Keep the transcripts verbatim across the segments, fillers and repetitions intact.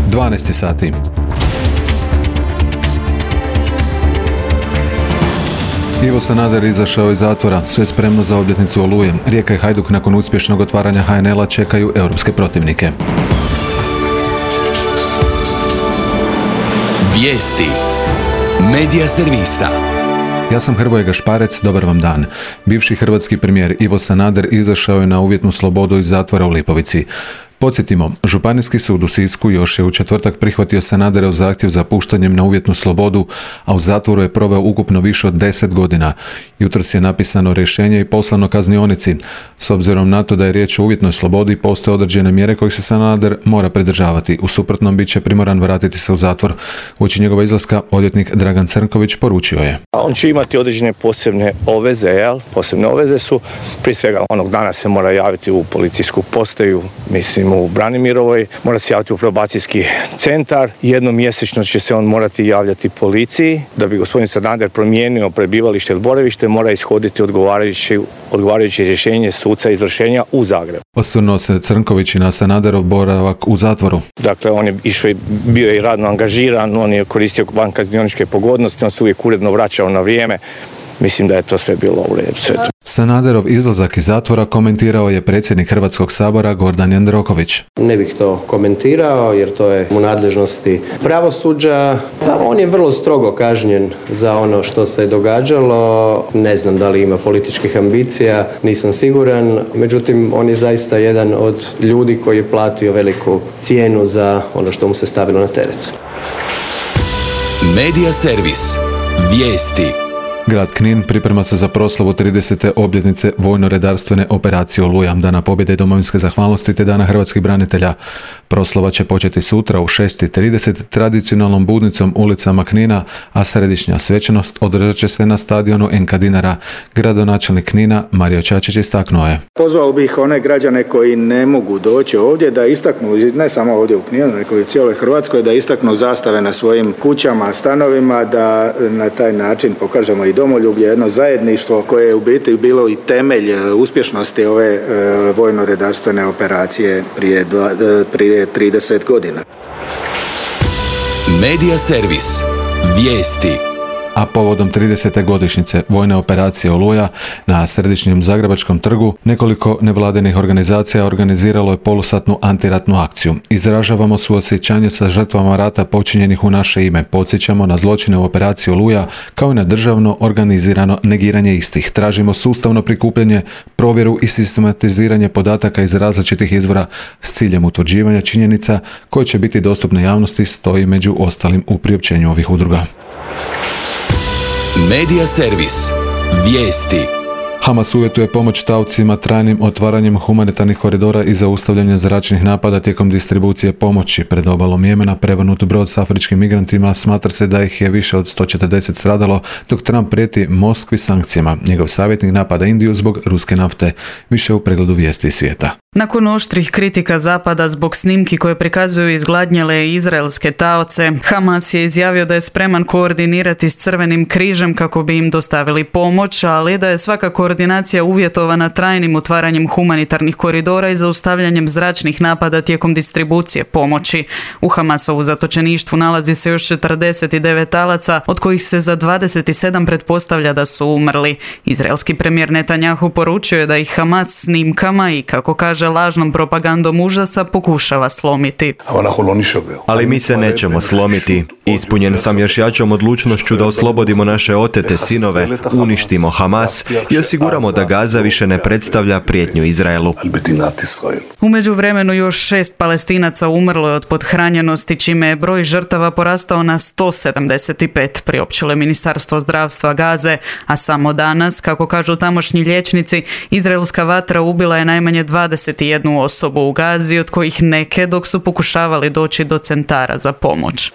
dvanaest sati. Ivo Sanader izašao iz zatvora, sve spremno za obljetnicu Oluje. Rijeka i Hajduk nakon uspješnog otvaranja ha en el a čekaju europske protivnike. Vijesti Medija servisa. Ja sam Hrvoje Gašparec, dobar vam dan. Bivši hrvatski premijer Ivo Sanader izašao je na uvjetnu slobodu iz zatvora u Lipovici. Podsjetimo, Županijski sud u Sisku još je u četvrtak prihvatio Sanaderov zahtjev za puštanjem na uvjetnu slobodu, a u zatvoru je proveo ukupno više od deset godina. Jutros je napisano rješenje i poslano kaznionici. S obzirom na to da je riječ o uvjetnoj slobodi, postoje određene mjere kojih se Sanader mora pridržavati. U suprotnom bit će primoran vratiti se u zatvor. Uoči njegova izlaska odvjetnik Dragan Crnković poručio je: On će imati određene posebne obveze, jel? Posebne obveze su, prije svega onog dana se mora javiti u policijsku postaju, mislim u Branimirovoj, mora se javiti u probacijski centar, jednom mjesečno će se on morati javljati policiji. Da bi gospodin Sanader promijenio prebivalište ili boravište, mora ishoditi odgovarajuće, odgovarajuće rješenje suca izvršenja u Zagrebu. Osvrnuo se Crnković i na Sanaderov boravak u zatvoru. Dakle, on je išao, bio je i radno angažiran, on je koristio van kaznioničke pogodnosti, on se uvijek uredno vraćao na vrijeme. Mislim da je to sve bilo u redu. Sanaderov izlazak iz zatvora komentirao je predsjednik Hrvatskog sabora Gordan Jandroković. Ne bih to komentirao jer to je u nadležnosti pravosuđa. On je vrlo strogo kažnjen za ono što se je događalo. Ne znam da li ima političkih ambicija, nisam siguran. Međutim, on je zaista jedan od ljudi koji je platio veliku cijenu za ono što mu se stavilo na teret. Medija servis. Vijesti. Grad Knin priprema se za proslavu tridesete obljetnice vojno-redarstvene operacije Oluja, Dana pobjede i domovinske zahvalnosti te Dana hrvatskih branitelja. Proslava će početi sutra u šest i trideset tradicionalnom budnicom ulicama Knina, a središnja svečanost održat će se na stadionu en ka Dinara. Gradonačelnik Knina Mario Čačić istaknuo je: Pozvao bih one građane koji ne mogu doći ovdje da istaknu, ne samo ovdje u Kninu, nego i u cijeloj Hrvatskoj, da istaknu zastave na svojim kućama, stanovima, da na taj način pokažemo i domoljublje, jedno zajedništvo koje je u biti bilo i temelj uspješnosti ove e, vojno-redarstvene operacije prije, dva, prije trideset godina. Medija servis. Vijesti. A povodom tridesete godišnjice vojne operacije Oluja na središnjem Zagrebačkom trgu nekoliko nevladinih organizacija organiziralo je polusatnu antiratnu akciju. Izražavamo suosjećanje sa žrtvama rata počinjenih u naše ime. Podsjećamo na zločine u operaciji Oluja kao i na državno organizirano negiranje istih. Tražimo sustavno prikupljanje, provjeru i sistematiziranje podataka iz različitih izvora s ciljem utvrđivanja činjenica koje će biti dostupne javnosti, stoji među ostalim u priopćenju ovih udruga. Medija servis. Vijesti. Hamas uvjetuje pomoć taocima trajnim otvaranjem humanitarnih koridora i zaustavljanje zračnih napada tijekom distribucije pomoći. Pred obalom Jemena prevrnut brod s afričkim migrantima, smatra se da ih je više od sto četrdeset stradalo, dok Trump prijeti Moskvi sankcijama. Njegov savjetnik napada Indiju zbog ruske nafte. Više u pregledu vijesti iz svijeta. Nakon oštrih kritika Zapada zbog snimki koje prikazuju izgladnjele izraelske taoce, Hamas je izjavio da je spreman koordinirati s Crvenim križem kako bi im dostavili pomoć, ali da je svaka koordinacija uvjetovana trajnim otvaranjem humanitarnih koridora i zaustavljanjem zračnih napada tijekom distribucije pomoći. U Hamasovu zatočeništvu nalazi se još četrdeset devet talaca, od kojih se za dvadeset sedam pretpostavlja da su umrli. Izraelski premijer Netanjahu poručio je da ih Hamas snimkama i, kako kaže, lažnom propagandom užasa pokušava slomiti. Ali mi se nećemo slomiti. Ispunjen sam još jačom odlučnošću da oslobodimo naše otete sinove, uništimo Hamas i osiguramo da Gaza više ne predstavlja prijetnju Izraelu. U međuvremenu još šest Palestinaca umrlo je od pothranjenosti, čime je broj žrtava porastao na sto sedamdeset pet, priopćilo je Ministarstvo zdravstva Gaze, a samo danas, kako kažu tamošnji liječnici, izraelska vatra ubila je najmanje dvadeset jednu osobu u Gazi, od kojih neke dok su pokušavali doći do centara za pomoć.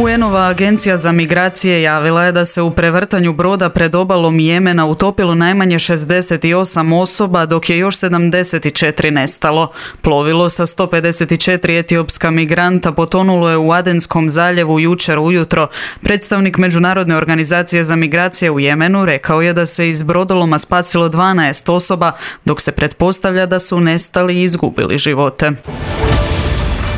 U en-ova agencija za migracije javila je da se u prevrtanju broda pred obalom Jemena utopilo najmanje šezdeset osam osoba, dok je još sedamdeset četiri nestalo. Plovilo sa sto pedeset četiri etiopska migranta potonulo je u Adenskom zaljevu jučer ujutro. Predstavnik Međunarodne organizacije za migracije u Jemenu rekao je da se iz brodoloma spasilo dvanaest osoba, dok se pretpostavlja da su nestali i izgubili živote.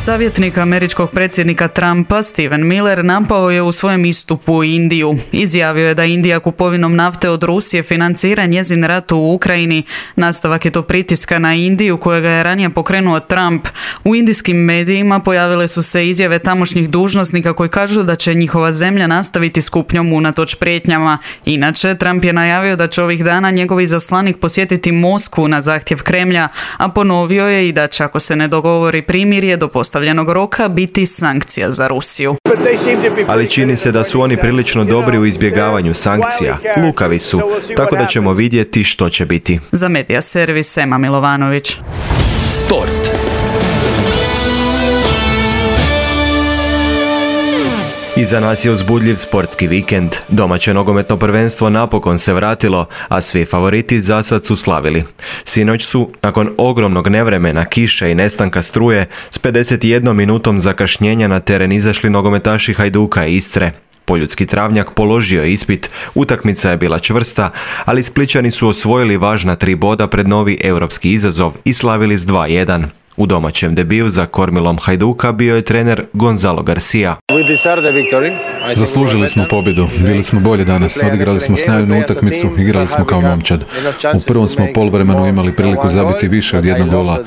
Savjetnik američkog predsjednika Trumpa, Stephen Miller, napao je u svojem istupu Indiju. Izjavio je da Indija kupovinom nafte od Rusije financira njezin rat u Ukrajini. Nastavak je to pritiska na Indiju kojega je ranije pokrenuo Trump. U indijskim medijima pojavile su se izjave tamošnjih dužnosnika koji kažu da će njihova zemlja nastaviti s kupnjom unatoč prijetnjama. Inače, Trump je najavio da će ovih dana njegov izaslanik posjetiti Moskvu na zahtjev Kremlja, a ponovio je i da će, ako se ne dogovori primirje do postavljenog roka, biti sankcija za Rusiju. Ali čini se da su oni prilično dobri u izbjegavanju sankcija. Lukavi su, tako da ćemo vidjeti što će biti. Za Medija servis Ema Milovanović. Sport. Iza nas je uzbudljiv sportski vikend. Domaće nogometno prvenstvo napokon se vratilo, a svi favoriti zasad su slavili. Sinoć su, nakon ogromnog nevremena, kiše i nestanka struje, s pedeset jednom minutom zakašnjenja na teren izašli nogometaši Hajduka i Istre. Poljudski travnjak položio je ispit, utakmica je bila čvrsta, ali Splićani su osvojili važna tri boda pred novi europski izazov i slavili s dva jedan. U domaćem debiju za kormilom Hajduka bio je trener Gonzalo Garcia. Zaslužili smo pobjedu, bili smo bolje danas, odigrali smo sjajnu utakmicu, igrali smo kao momčad. U prvom smo poluvremenu imali priliku zabiti više od jednog gola.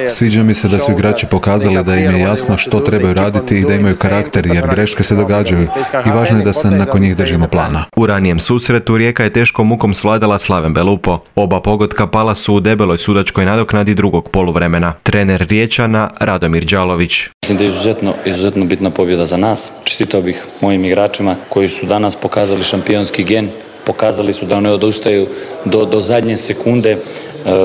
Sviđa mi se da su igrači pokazali da im je jasno što trebaju raditi i da imaju karakter, jer greške se događaju i važno je da se nakon njih držimo plana. U ranijem susretu Rijeka je teškom mukom svladala Slaven Belupo. Oba pogotka pala su u debeloj sudačkoj nadoknadi drugog poluvremena. Trener Riječana Radomir Đalović. Mislim da je izuzetno, izuzetno bitna pobjeda za nas. Čestitao bih mojim igračima koji su danas pokazali šampionski gen, pokazali su da ne odustaju do, do zadnje sekunde. E,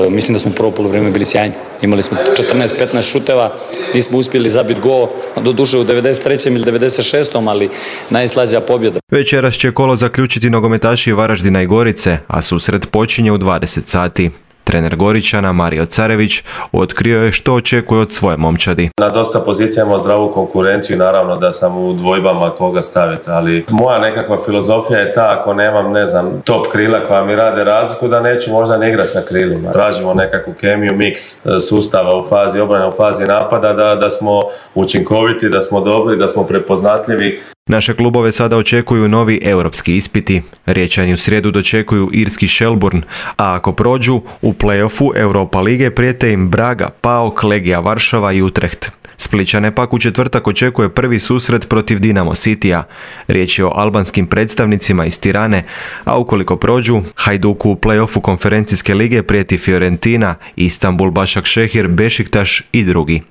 mislim da smo prvo poluvreme bili sjajni. Imali smo četrnaest petnaest šuteva, nismo uspjeli zabiti gol, do duše u devedeset trećem ili devedeset šestom ali najslađa pobjeda. Večeras će kolo zaključiti nogometaši Varaždina i Gorice, a susret počinje u dvadeset sati. Trener Goričana Mario Carević otkrio je što očekuje od svoje momčadi. Na dosta pozicija imamo zdravu konkurenciju i naravno da sam u dvojbama koga staviti, ali moja nekakva filozofija je ta, ako nemam, ne znam, top krila koja mi rade razliku, da neću možda ne igrati sa krilima. Tražimo nekakvu kemiju, miks sustava u fazi obrane, u fazi napada, da, da smo učinkoviti, da smo dobri, da smo prepoznatljivi. Naše klubove sada očekuju novi europski ispiti. Riječani u srijedu dočekuju irski Shelburne, a ako prođu, u play-offu Europa lige prijete im Braga, PAOK, Legija Varšava i Utrecht. Splićane pak u četvrtak očekuje prvi susret protiv Dinamo Cityja. Riječ je o albanskim predstavnicima iz Tirane, a ukoliko prođu, Hajduku u play-offu konferencijske lige prijeti Fiorentina, Istanbul, Başakşehir, Bešiktaš i drugi.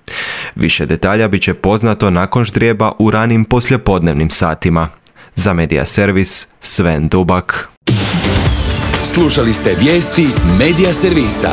Više detalja bit će poznato nakon ždrijeba u ranim poslijepodnevnim satima. Za Medija servis Sven Dubak. Slušali ste vijesti Medija servisa.